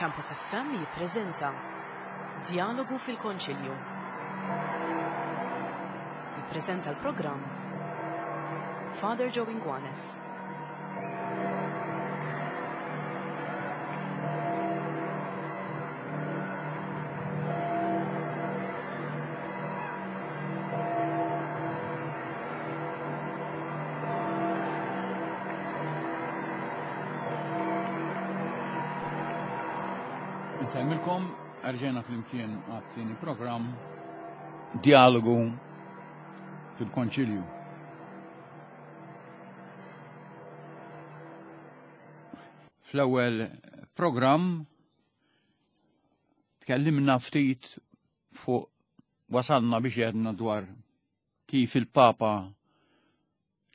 Campus FM jippreżenta Djalogu fil-Konċilju. Jippreżenta l-programm Father Joe Inguanes. Insemmilkom, rġejna flimkien għat-tieni programm Dialogu fil-Konċilju. Fl-ewwel programm tkellimna ftit fuq wasalna biex għedna dwar kif il-Papa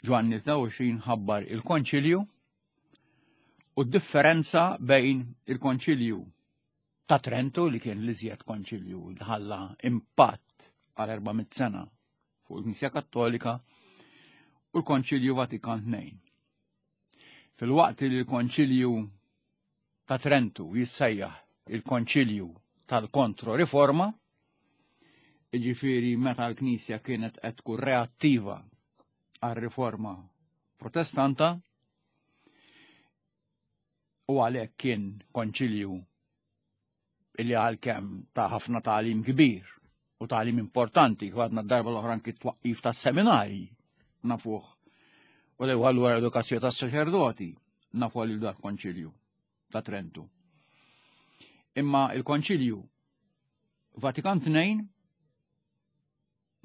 Ġwanni 23 ħabbar il-Konċilju u d-differenza bejn il-Konċilju ta' Trento li kien l-iżjed konċilju li ħalla impatt għal 400 sena fuq il-Knisja Kattolika u l-Konċilju Vatikan II. Filwaqt li l-Konċilju ta' Trentu jissejjaħ il-Konċilju tal-Kontro-Riforma, jiġifieri meta l-Knisja kienet qed tkun reattiva għar-riforma Protestanta, u għalhekk kien konċilju illi għalkemm ta' ħafna tagħlim kbir u tagħlim importanti, għadna d-darba l-oħra anki twaqqif ta' seminari nafuh. U li allura edukazzjoni tas saċerdoti nafu għal dak konċilju ta' Trentu. Imma il-konċilju Vatikan II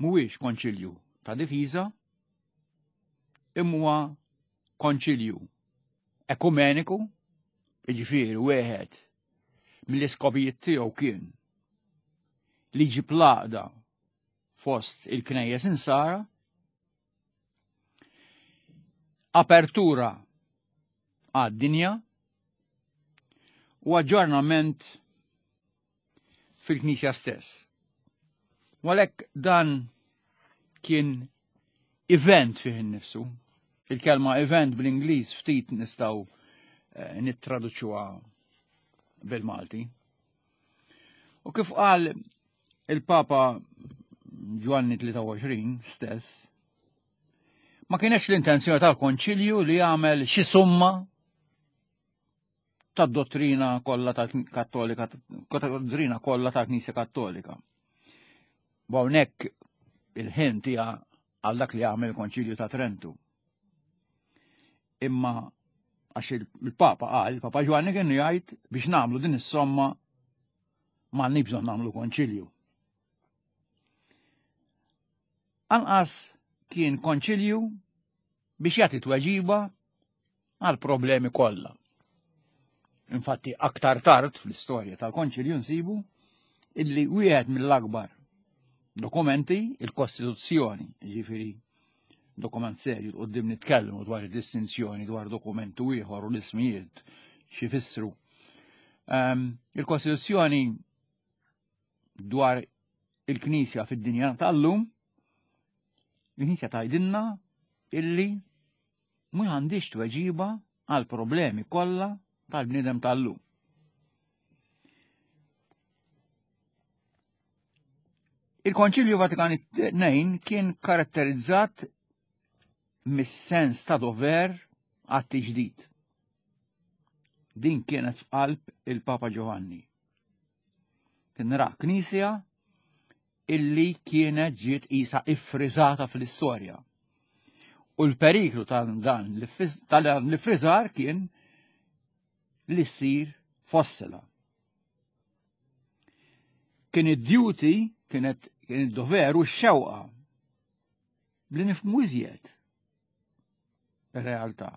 mhuwiex konċilju ta' difiża, imma huwa konċilju ekumeniku, jiġifieri wieħed mill-iskopijiet tiegħu kien li jġib l-għaqda fost il-knejjes insara, apertura għad-dinja u aġġornament fil-Knisja stess. U għalhekk dan kien event fih innifsu. Il-kelma event bl-Ingliż ftit nistgħu eh, nittraduċuha bil-Malti. U kif qal il-Papa Ġwanni 23 stess, ma kienx l-intenzjoni tal-Konċilju li jagħmel xi summa tad-dottrina kollha tal-Kattolika, dottrina kollha tal-Knisja Kattolika. Hawnhekk il-ħin tija għal dak li għamel il-Konċilju ta' Trentu. Imma għax il-Papa qal, il-Papa Ġwanni kien jgħid biex nagħmlu din is-somma m'għandni bżonn nagħmlu konċilju. Anqas kien konċilju biex jagħti tweġiba għal problemi kollha. Infatti aktar tard fl-istorja tal-Konċilju nsibu illi wieħed mill-akbar dokumenti il-Kostituzzjoni, ġifieri dokument serju qudiem nitkellmu dwar id-distinzjoni dwar dokumentu ieħor u l-ismijiet xi fissru. Ehm, il-Kostituzzjoni dwar il-Knisja fid-dinja tal-lum, il-Knisja tgħidilna illi ma għandix tweġiba għal problemi kollha tal-bniedem tal-lum. Il-Konċilju Vatikan II kien karatterizzat mis-sens ta' dover għat-tiġdid. Din kienet f'qalb il-Papa Giovanni. Kien ra knisja illi kienet ġiet isa iffriżata fl-istorja. U l-periklu ta' dan l-iffriżar kien li ssir fossila. Kien id-duty, kienet kien id-dover u x-xewqa li nifhmu iżjed ir-realtà.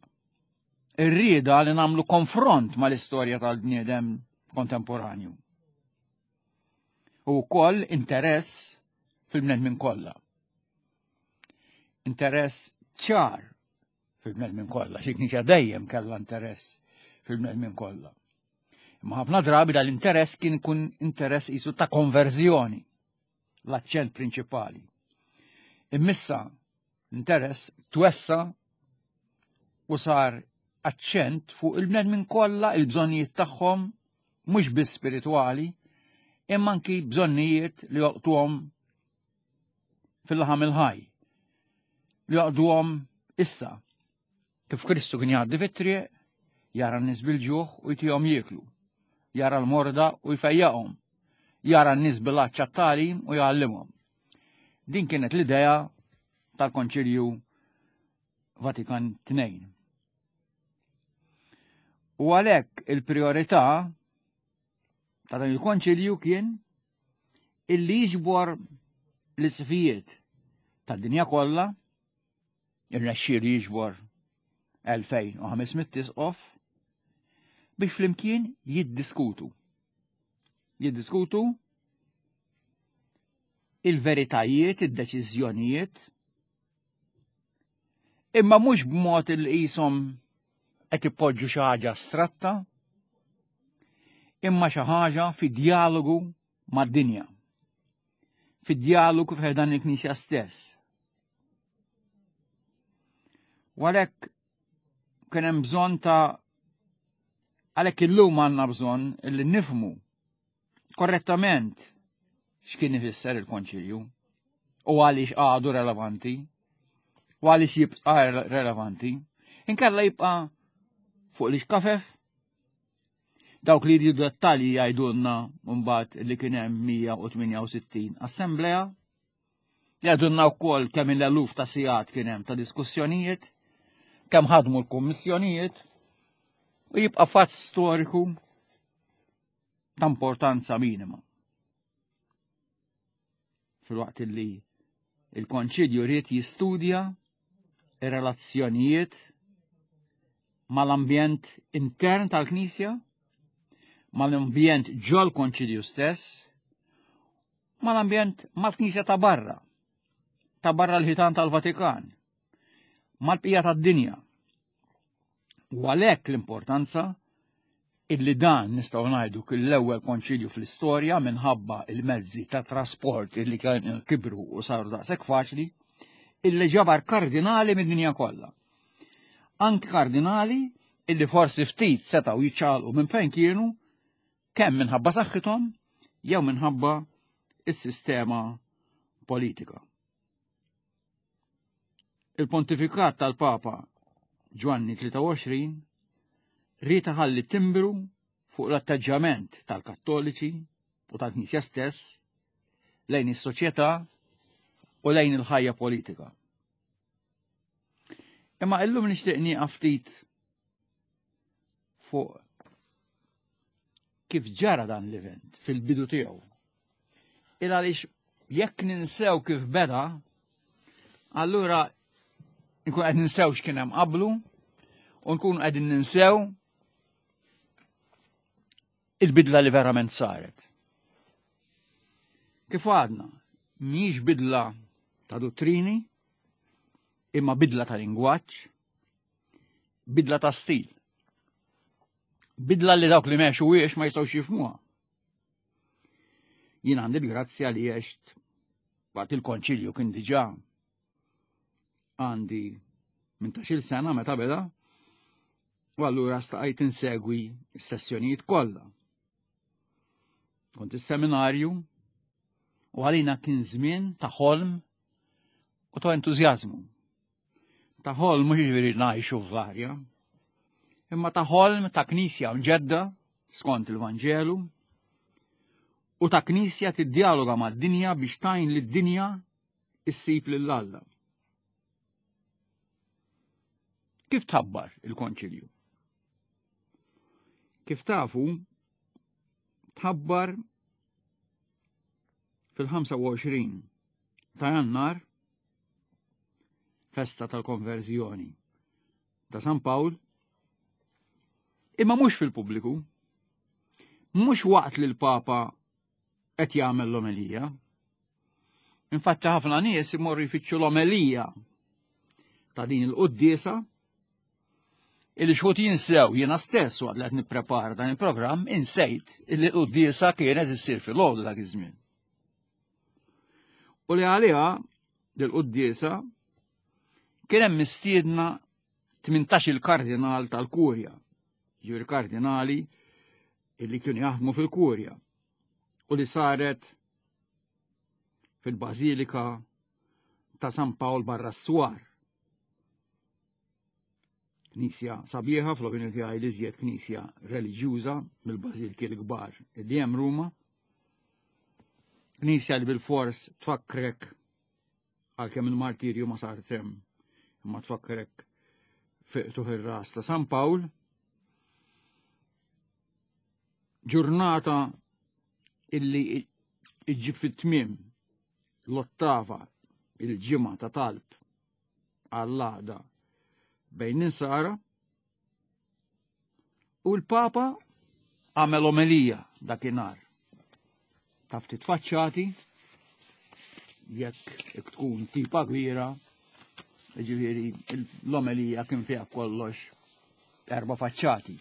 Ir-rieda li nagħmlu konfront mal-istorja tal-bniedem kontemporanju. U wkoll interess fil-bnedmin kollha. Interess ċar fil-bnedmin kollha, xi knisja dejjem kellha interess fil-bnedmin kollha. Imma ħafna drabi dal-interess kien ikun interess isu ta' konverżjoni, l-aċċent prinċipali. Immissa l-interess twessa u sar aċċent fuq il-bnedmin kollha, il-bżonnijiet tagħhom. mhux biss spiritwali, imma anki bżonnijiet li joqtuhom fil-laħam il-ħaj, li joqduhom issa. Kif Kristu kien jgħaddi fit-triq, jara n-nies bil-ġuħ u jtihom jieklu, jara l-morda u jfejjaqhom, jara n-nies bil-għatx għat-tagħlim u jgħallimhom. Din kienet l-idea tal-Konċilju Vatikan II. U għalhekk il-priorità ta' dan il-konċilju kien illi jiġbor l-isfijiet tad-dinja kollha, irnexxielu jiġbor 2500 isqof biex flimkien jiddiskutu. Jiddiskutu il-veritajiet, id-deċiżjonijiet, imma mhux b'mod il qishom qed ipoġġu xi ħaġa astratta, imma xi ħaġa fi dialogu mad-dinja. Fi dialogu fi dan il-Knisja stess. U għalhekk kien hemm bżonn ta' għalhekk illum għandna bżonn li nifmu korrettament x'kien ifisser il-konċilju u għaliex għadu relevanti u għaliex jibqa' relevanti. Inkella jibqa' fuq li xkafef dawk li jridu dettalji jgħidulna mbagħad li kien hemm 168 assemblea Jgħidulna wkoll kemm il-eluf ta' sigħat kien hemm ta' diskussjonijiet, kemm ħadmu l-kummissjonijiet u jibqa' fatt storiku ta' importanza minima. Filwaqt li il-konċilju ried jistudja ir-relazzjonijiet mal-ambjent intern tal-Knisja, mal-ambjent ġol konċilju stess, mal-ambjent mal-Knisja ta' barra, ta' barra l-ħitan tal-Vatikan, mal-bqija tad-dinja. U għalhekk l-importanza illi dan nistgħu ngħidu kien l-ewwel konċilju fl-istorja minħabba il-mezzi ta' trasport illi kien kibru u saru daqshekk faċli, illi ġabar kardinali mid-dinja kollha. Anki kardinali illi forsi ftit setgħu jiċċaqalqu minn fejn kienu kemm minħabba saħħithom jew minħabba is-sistema politika. Il-pontifikat tal-Papa Ġwanni 23 ried iħalli timbru fuq l-atteġġjament tal-Kattoliċi u tal-Knisja stess lejn is-soċjetà u lejn il-ħajja politika. Imma illum nixtieq nieqaf ftit fuq kif ġara dan l-event fil-bidu tiegħu. Il għaliex jekk ninsew kif beda, allura nkun qed ninsew x'kien hemm qablu u nkun qegħdin ninsew il-bidla li verament saret. Kif għadna, mhijiex bidla ta' dottrini, imma bidla ta' lingwaġġ, bidla ta' stil. Bidla li dawk li meċu wiex ma jistgħux jifmuha. Jien għandi l-grazzja li għext waqt il-konċilju kien diġà għandi minn ta' sena meta beda u allura staqajt insegwi s-sessjonijiet kollha. Kont is-seminarju u għalina kien żmien ta' ħolm u ta' entużjażmu. Ta' ħolm mhux jiġifieri ngħixu f'varja, imma ta' ħolm ta' knisja mġedda skont il-Vanġelu u ta' knisja tiddjaloga mad-dinja biex tajn lid-dinja issib lil Alla. Kif tħabbar il-konċilju? Kif tafu, tħabbar fil-25 ta' jannar festa tal-konverżjoni ta' San Pawl, imma mhux fil-pubbliku, mhux waqt li l-Papa qed jagħmel l-omelija. Infatti ħafna nies imorru jfittxu l-omelija ta' din il-quddiesa illi xħut jinsew jiena stess waqt li qed nipprepara dan il-programm insejt illi l-quddiesa kienet issir fil-għodu dak iż-żmien. U li għaliha l-quddiesa kien hemm mistiedna 18 il-kardinal tal-Kurja, ġifieri kardinali illi kienu jaħdmu fil-Kurja u li saret fil-Bażilika ta' San Pawl barra s-swar. Knisja sabiħa fl-opinjoni tiegħi li żjed knisja reliġjuża mill-bażilki l-kbar li hemm Ruma. Knisja li bil-fors tfakkrek għalkemm il-martirju ma sar hemm imma tfakkrek fiqtuħ ir-ras ta' San Pawl. Ġurnata illi iġġib fit-tmiem l-ottava il-ġimgħa ta' talb għall-għaqda bejn insara u l-Papa għamel omelija dakinhar. Ta' ftit faċċati jekk tkun tipa kbira, ġifieri l-omelija kien fiha kollox erba' faċċati.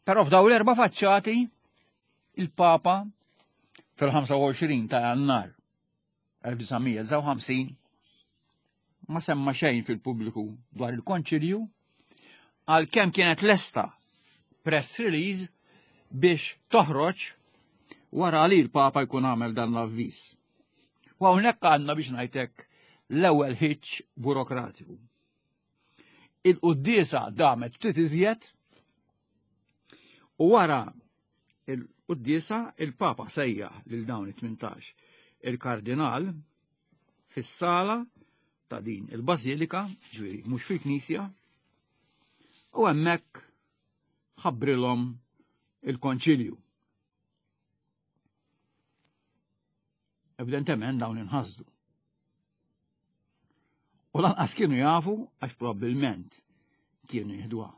Però f'daw l-erba' faċċati il-Papa fil-25 ta' Jannar 1959 ma semma xejn fil-pubbliku dwar il-konċilju għalkemm kienet lesta press release biex toħroġ wara li l-Papa jkun għamel dan l-avviż. U hawnhekk għandna biex ngħidlek l-ewwel ħiċ burokratiku. Il-quddiesa damet ftit iżjed u wara il-quddiesa il-Papa sejjaħ lil dawn it-18 il-kardinal fis-sala ta' din il-bażilika, ġifieri mhux fil-knisja, u hemmhekk ħabbrilhom il-konċilju. Evidentement dawn inħasdu. U lanqas kienu jafu għax probabbilment kienu jieħduha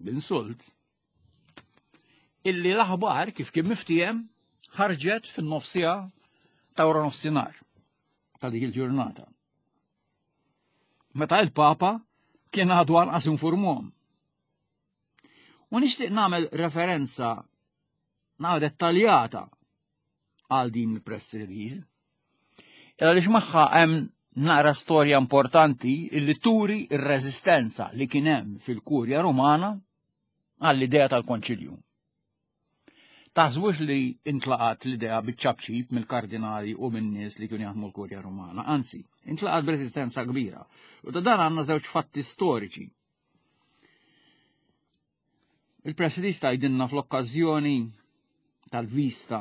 b'insult illi l-aħbar kif kien miftiem ħarġet fin-nofsija ta' wara nofsinhar ta' dik il-ġurnata. Meta il-Papa kien għadu anqas informuhom. U nixtieq nagħmel referenza nagħmel dettaljata għal din il-press release. Għaliex magħha hemm naqra storja importanti illi turi r-reżistenza li kien hemm fil-Kurja Rumana għall-idea tal-Konċilju. Taħsbux li intlaqat l-idea biċ-ċapċip mill-kardinali u minn nies li kienu jaħdmu l-Kurja Rumana, anzi, intlaqat b'resistenza kbira. U ta' dan għandna żewġ fatti storiċi. Il-press release tgħidilna fl-okkażjoni tal-vista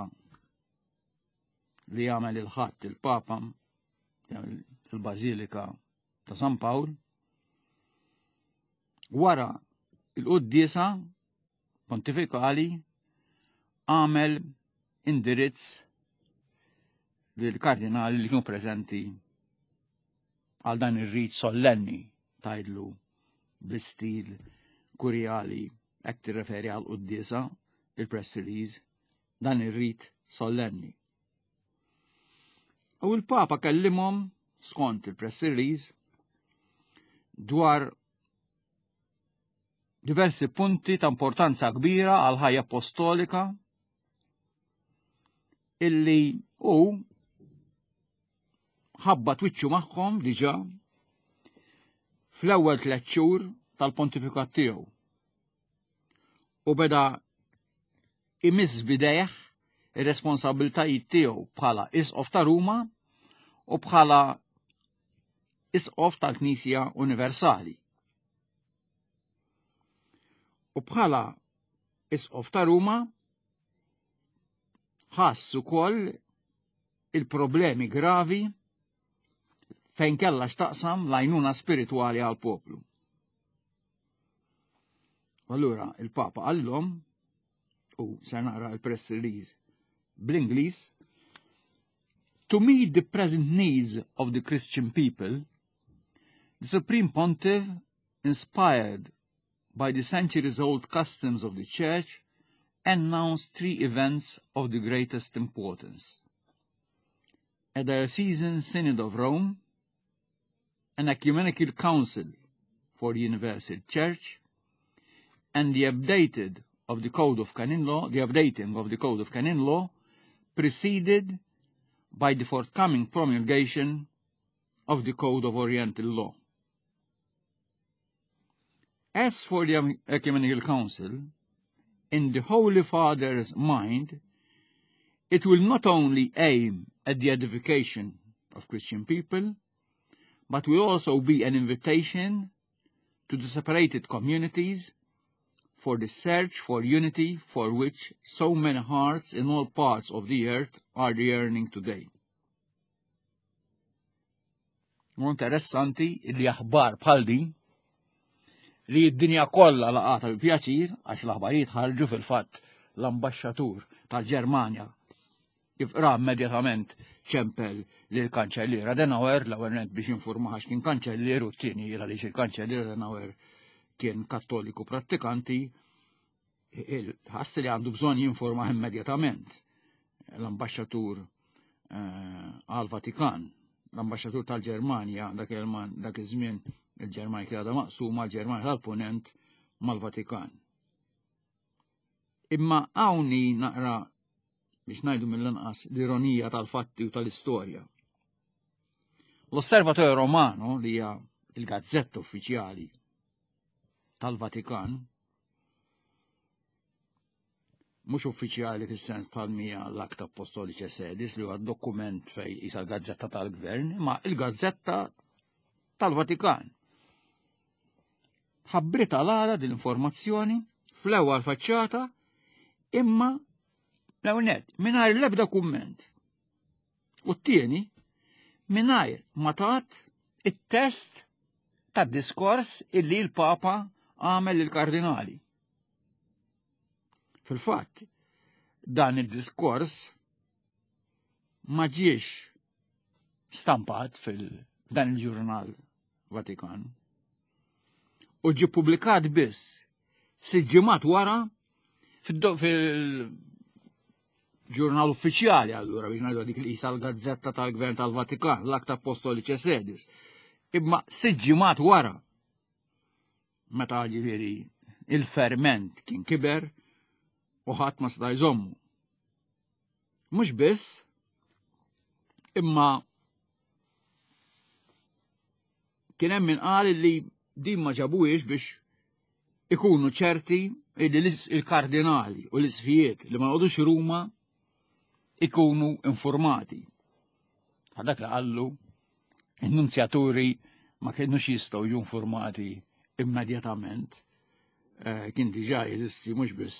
li għamel il-ħadd il-Papa il-Bażilika ta' San Pawl wara il-quddiesa pontifikali għamel indirizz lill-kardinali li kienu preżenti għal dan ir-rit sollenni tajdlu bl-istil kurjali hekk tirreferi għal quddiesa il-press release dan ir-rit sollenni. U l-Papa kellimhom skont il-press release dwar diversi punti ta' importanza kbira għal ħajja apostolika illi hu ħabba twiċċu magħhom diġà fl-ewwel tliet xhur tal-pontifikat tiegħu. U beda imiss bidejh ir-responsabiltajiet tiegħu bħala isqof ta' Ruma u bħala isqof tal-Knisja Universali. U bħala isqof ta' Ruma ħass ukoll il-problemi gravi fejn kellha x'taqsam l-għajnuna spiritwali għal poplu. Allura il-Papa qallhom u se naqra l-press release bl-Ingliż To meet the present needs of the Christian people, the Supreme Pontiff, inspired by the centuries-old customs of the Church, announced three events of the greatest importance. A diocesan synod of Rome, an ecumenical council for the Universal Church, and the updated of the Code of Canon Law, the updating of the Code of Canon Law, preceded by the forthcoming promulgation of the Code of Oriental Law. As for the Ecumenical Council, In the Holy Father's mind, it will not only aim at the edification of Christian people, but will also be an invitation to the separated communities for the search for unity for which so many hearts in all parts of the earth are yearning today. U interessanti li aħbar bħal din li d-dinja kollha laqata bi pjaċir għax l-aħbarijiet ħarġu fil-fatt l-ambaxxatur tal-Ġermanja kif qra immedjatament ċempel lil kanċellier Adenauer l-ewwel nett biex jinfurmaha x'kien kanċellier u t-tieni għaliex il-kanċellier Adenauer kien kattoliku prattikanti ħass li għandu bżonn jinforma immedjatament l-ambaxxatur eh, għal-Vatikan, l-ambaxxatur tal-Ġermanja dak dak iż-żmien il-Ġermanja kien għadha maqsuma l-Ġermanja tal-Punent mal-Vatikan. Imma hawnni naqra biex ngħidu mill-inqas l-ironija tal-fatti u tal-istorja. L-Osservatorio Romano li hija il-gazzetta uffiċjali tal-Vatikan, mhux uffiċjali fis-sens bħal mija l-Acta Apostolice Sedis li huwa dokument fej isa l-gazzetta tal-gvern, imma il-gazzetta tal-Vatikan. Ħabbritha l-għada din l-informazzjoni fl-ewwel faċċata imma l-ewwel nett mingħajr l-ebda kumment. U t-tieni mingħajr ma tat it-test tad-diskors illi l-Papa għamel lill-kardinali. Fil-fatt, dan id-diskors ma ġiex stampat fil-dan il-ġurnal Vatikan u ġie publikat biss sitt ġimgħat wara fil-ġurnal uffiċjali allura biex ngħidu dik li qisha l-gazzetta tal-Gvern tal-Vatikan, l-Acta Apostolice Sedis. Imma sitt ġimgħat wara meta ġifieri il-ferment kien kiber u ħadd ma seta' jżommu. Mhux biss, imma kien hemm min qal li din ma ġabuhiex biex ikunu ċerti li il-kardinali u l-isfijiet li ma jqogħdux Ruma ikunu informati. Dak li qallu in-nunzjaturi ma kienux jistgħu jiġu informati immedjatament. Eh, kien diġà jeżisti mhux biss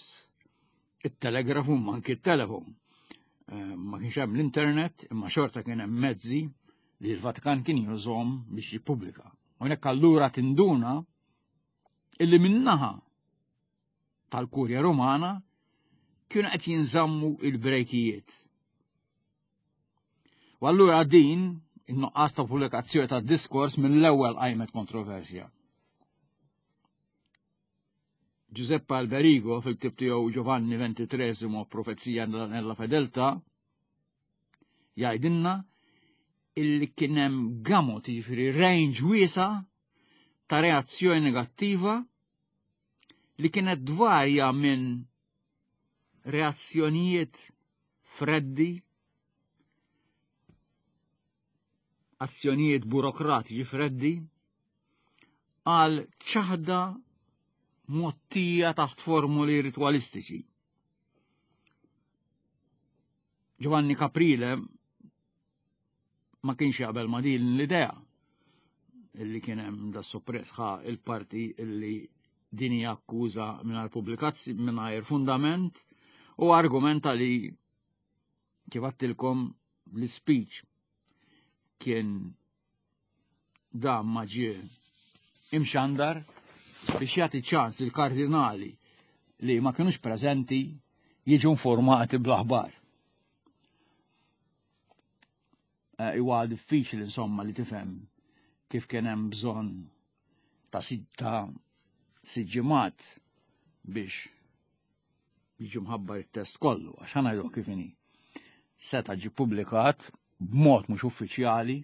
it-telegrafu ma anki t-telefon. Eh, ma kienx hemm l-internet, imma xorta kien hemm mezzi li l-Vatikan kien jużhom biex jippubblika. Hawnhekk allura tinduna illi minnaħa tal-Kurja Rumana kienu qed jinżammu il-brejkijiet. U allura din in-nuqqas ta' pubblikazzjoni ta' diskors mill-ewwel qajmet kontroversja. Giuseppe Alberigo fil-ktib tiegħu Giovanni XXIII Profezija nella Fedeltà jgħidilna illi kien hemm gamut, jiġifieri range wiesa' ta' reazzjoni negattiva li kienet dvarja minn reazzjonijiet freddi, azzjonijiet burokratiċi freddi, għal ċaħda mottija taħt formuli ritwalistiċi. Giovanni Caprile ma kienx jaqbel ma din l-idea illi kien hemm da soppress ħa il-parti illi din hija akkuża mingħajr pubblikazzi mingħajr fundament u argumenta li kif għattilkom l-speech kien dan ma ġie imxandar biex jagħti ċans il-kardinali li ma kinux preżenti jiġu informati bl-aħbar. Eh, huwa diffiċli insomma li tifhem kif kien hemm bżonn ta' sitta siġġimat biex jiġi mħabbar it-test kollu, għax ħana jgħidu kif inhi. Seta' ġi publikat b'mod mhux uffiċjali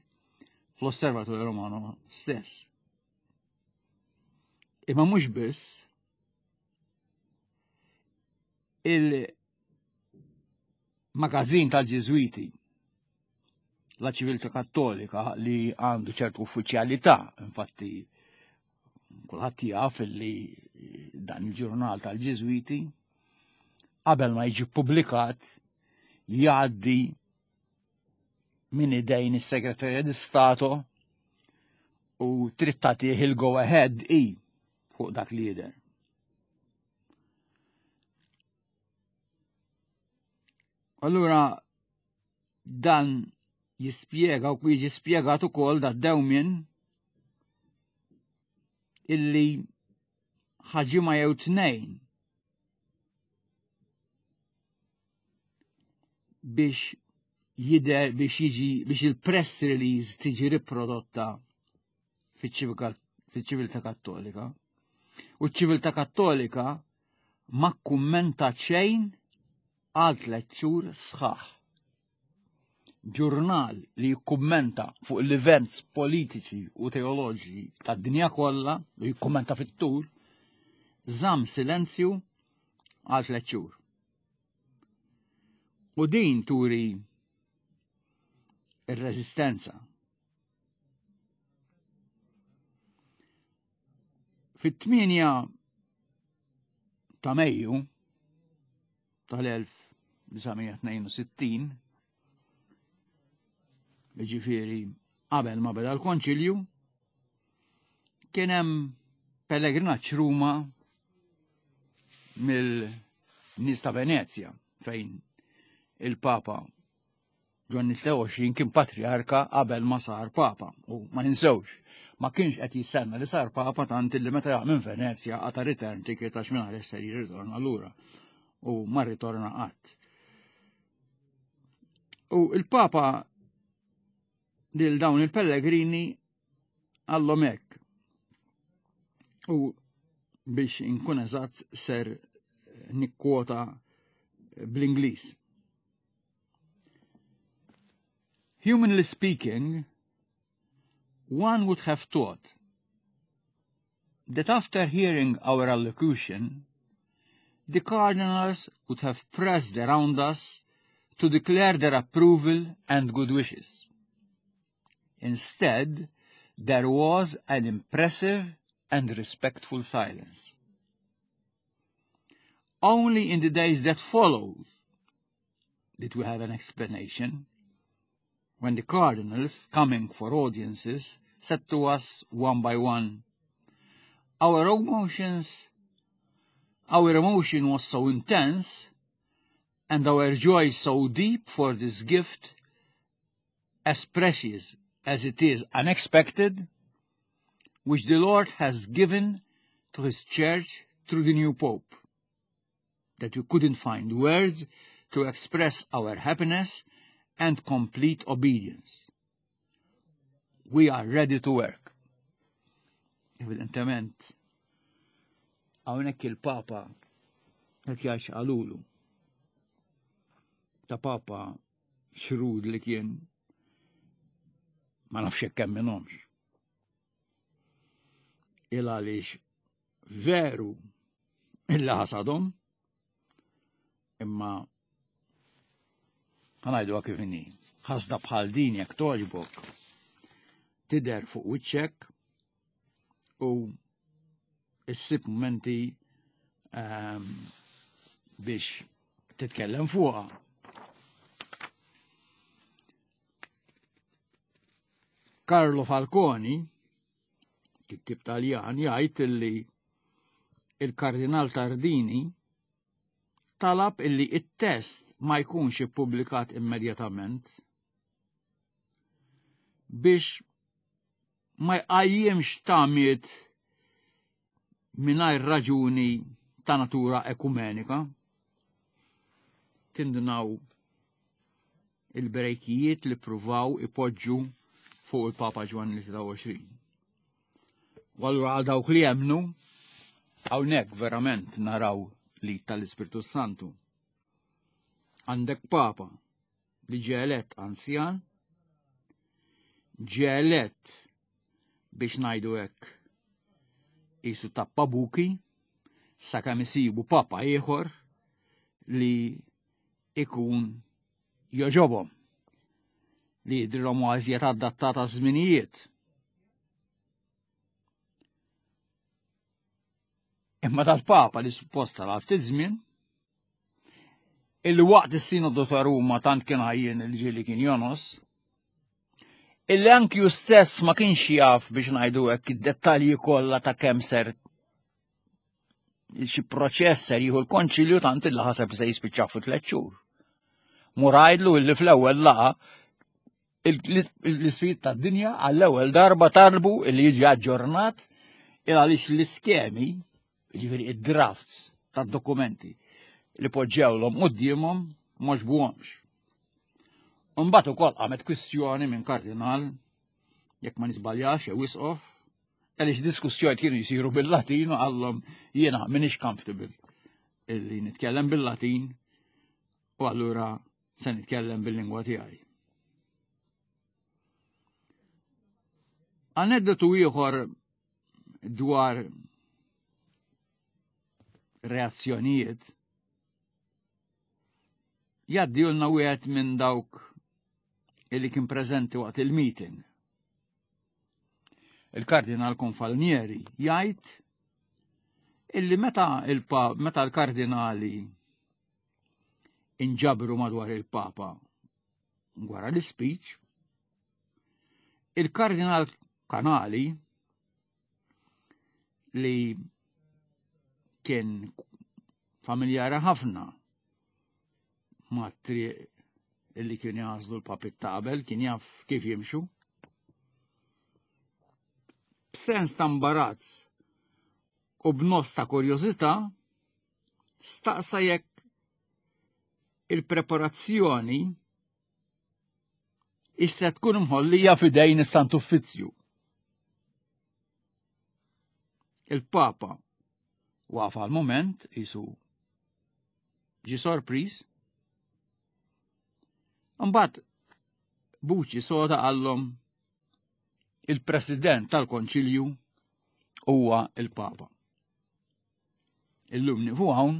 fl-Osservatorju Romano stess. Imma mhux biss il-magazzin tal-Ġiżwiti la ċiviltà kattolika li għandu ċertu uffiċjalità, infatti kulħadd jaf li dan il-ġurnal tal-Ġiżwiti qabel ma jiġi ppubblikat jgħaddi minn idejn is-Segretarja di Stato u trid tagħtih il-go ahead i fuq dak li jidher. Allura dan jispjega u jiġi spjegat ukoll da dewmien illi ħaġima jew tnejn biex jider biex jiġi biex il-press release tiġi riprodotta fiċ-ċiviltà kattolika. U ċ-ċiviltà kattolika ma kummenta xejn għal tliet xhur sħaħ. Ġurnal li jikkummenta fuq l-events politiċi u teoloġiċi tad-dinja kollha u jikkummenta fit-tul, żamm silenzju għal tliet xhur. U din turi ir-reżistenza. Fit-8 ta' Mejju tal-1962, ġifieri qabel ma beda l-konċilju, kien hemm pellegrinaġġ Ruma mill-nies ta' Venezja fejn il-Papa Ġwanni 23 kien patriarka qabel ma sar papa u ma ninsewx ma kienx qed jistenna li sar papa tant li meta jaq minn Venezja qata' return ticket għax minn ser jirritorna lura u ma rritorna qatt. U il-papa lil dawn il-pellegrini għallhom hekk. U biex inkun eżatt ser nikkwota bl-Ingliż. Humanly speaking, one would have thought that after hearing our allocution, the cardinals would have pressed around us to declare their approval and good wishes. Instead, there was an impressive and respectful silence. Only in the days that followed did we have an explanation. When the cardinals, coming for audiences, said to us one by one, Our emotions, our emotion was so intense, and our joy so deep for this gift, as precious as it is unexpected, which the Lord has given to his church through the new Pope, that we couldn't find words to express our happiness and complete obedience. We are ready to work. Evidentement, hawnhekk il-Papa qed jgħix qalulu. Ta' Papa xrud li kien ma nafx hekk hemm minnhomx. Il għaliex veru illa ħasadhom imma ħanajdu kif inhi. Ħasda bħal din jekk toġbok tidher fuq wiċċek u issib momenti um, biex titkellem fuqha. Carlo Falconi, kittib Taljan, jgħid illi il-Kardinal Tardini talab illi it-test ma jkunx ippubblikat immedjatament biex ma jqajjimx tamiet mingħajr raġuni ta' natura ekumenika. Tindunaw il-brejkijiet li pruvaw ipoġġu fuq il-Papa Ġwanni 23. U allura għal dawk li jemnu, hawnhekk verament naraw li tal-Ispirtu Santu. Għandek Papa li ġie elett anzjan, ġie elett biex ngħidu hekk qisu tappa buki sakemm isibu papa ieħor li ikun joġobhom li jidrilhom għażiet adattata żminijiet. Imma dal-papa li supposta għal ftit żmien. Illi waqt is-Sinodu ta' Ruma tant kien għajjien il-ġieli kien jonos, illi anki hu stess ma kienx jaf biex ngħidu hekk id-dettalji kollha ta' kemm ser xi proċess ser jieħu l-konċilju tant illi ħaseb li se jispiċċa fi tliet xhur. Murajdlu illi fl-ewwel laqa l-isfid tad-dinja għall-ewwel darba talbu illi jiġi aġġornat il għaliex l-iskemi, ġifieri id-drafts tad-dokumenti li poġġewlhom quddiemhom m'għoġbuhomx. Imbagħad ukoll qamet kwistjoni minn kardinal jekk ma nisbaljax jew isqof, għaliex diskussjoni kienu jsiru bil-Latin u qallhom jiena m'iniex comfortable illi nitkellem bil-Latin u allura se nitkellem bil-lingwa tiegħi. Aneddotu ieħor dwar reazzjonijiet jgħaddilna wieħed minn dawk illi kien preżenti waqt il-meeting. Il-Kardinal Konfalnieri jgħid illi meta meta l-kardinali inġabru madwar il-Papa wara l-speech, il-Kardinal Kanali li kien familjari ħafna ma' triq illi kien jażlu l-papit ta' qabel, kien jaf kif jimxu. B'sens ta' imbarazz u b'nos ta' kurjożità, staqsa jekk il-preparazzjoni issa tkun mħollija fidejn is-Sant Uffizzju. Il-Papa waqaf għal moment isu ġi sorpriż. Imbagħad buċi soda qallhom il-President tal-Konċilju huwa il-Papa. Illum nifu hawn,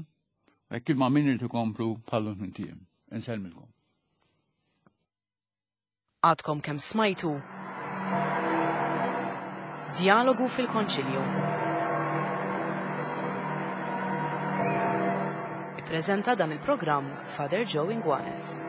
hekk il ma min irid ikomplu bħallu minn Insellmilkom. Għadkom kemm smajtu Djalogu fil-Konċilju. Ippreżenta dan il-programm Father Joe Inguanes.